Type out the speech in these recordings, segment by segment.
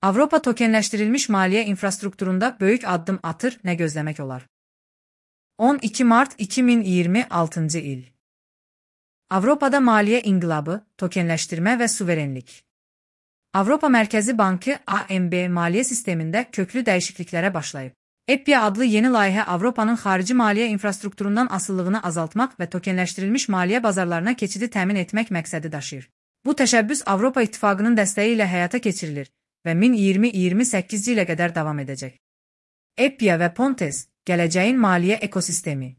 Avropa tokenləşdirilmiş maliyyə infrastrukturunda böyük addım atır, nə gözləmək olar? 12 mart 2026 il. Avropada maliyyə inqilabı, tokenləşdirmə və suverenlik. Avropa Mərkəzi Bankı (AMB) maliyyə sistemində köklü dəyişikliklərə başlayıb. EPIA adlı yeni layihə Avropanın xarici maliyyə infrastrukturundan asılılığını azaltmaq və tokenləşdirilmiş maliyyə bazarlarına keçidi təmin etmək məqsədi daşıyır. Bu təşəbbüs Avropa İttifaqının dəstəyi ilə həyata keçirilir və 2028 ilə qədər davam edəcək. EPIA və Pontes, gələcəyin maliyyə ekosistemi.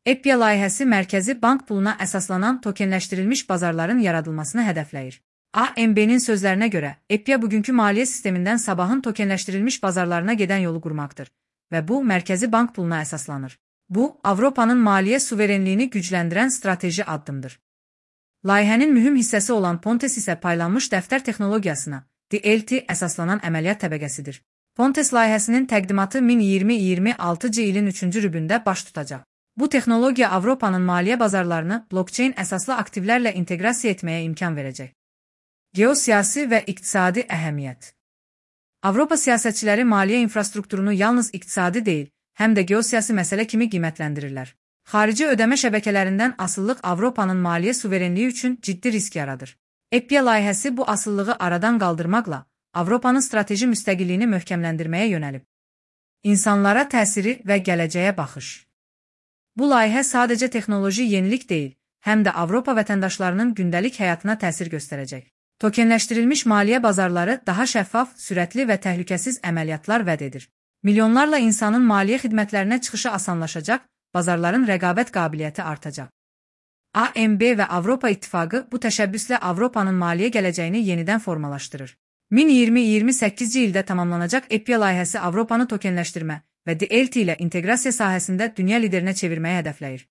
EPIA layihəsi mərkəzi bank puluna əsaslanan tokenləşdirilmiş bazarların yaradılmasını hədəfləyir. AMB-nin sözlərinə görə, EPIA bugünkü maliyyə sistemindən sabahın tokenləşdirilmiş bazarlarına gedən yolu qurmaqdır və bu, mərkəzi bank puluna əsaslanır. Bu, Avropanın maliyyə suverenliyini gücləndirən strateji addımdır. Layihənin mühüm hissəsi olan Pontes isə paylanmış dəftər texnologiyasına, DLT əsaslanan əməliyyat təbəqəsidir. Pontes layihəsinin təqdimatı 2026 ilin 3-cü rübündə baş tutacaq. Bu texnologiya Avropanın maliyyə bazarlarını blockchain əsaslı aktivlərlə inteqrasiya etməyə imkan verəcək. Geosiyasi və iqtisadi əhəmiyyət. Avropa siyasətçiləri maliyyə infrastrukturunu yalnız iqtisadi deyil, həm də geosiyasi məsələ kimi qiymətləndirirlər. Xarici ödəmə şəbəkələrindən asıllıq Avropanın maliyyə suverenliyi üçün ciddi risk yaradır. EPIA layihəsi bu asılılığı aradan qaldırmaqla Avropanın strateji müstəqilliyini möhkəmləndirməyə yönəlib. İnsanlara təsiri və gələcəyə baxış. Bu layihə sadəcə texnoloji yenilik deyil, həm də Avropa vətəndaşlarının gündəlik həyatına təsir göstərəcək. Tokenləşdirilmiş maliyyə bazarları daha şəffaf, sürətli və təhlükəsiz əməliyyatlar vəd edir. Milyonlarla insanın maliyyə xidmətlərinə çıxışı asanlaşacaq, bazarların rəqabət qabiliyyəti artacaq. AMB və Avropa İttifaqı bu təşəbbüslə Avropanın maliyyə gələcəyini yenidən formalaşdırır. 2028 ildə tamamlanacaq EPIA layihəsi Avropanı tokenləşdirmə və DLT ilə inteqrasiya sahəsində dünya liderinə çevirməyi hədəfləyir.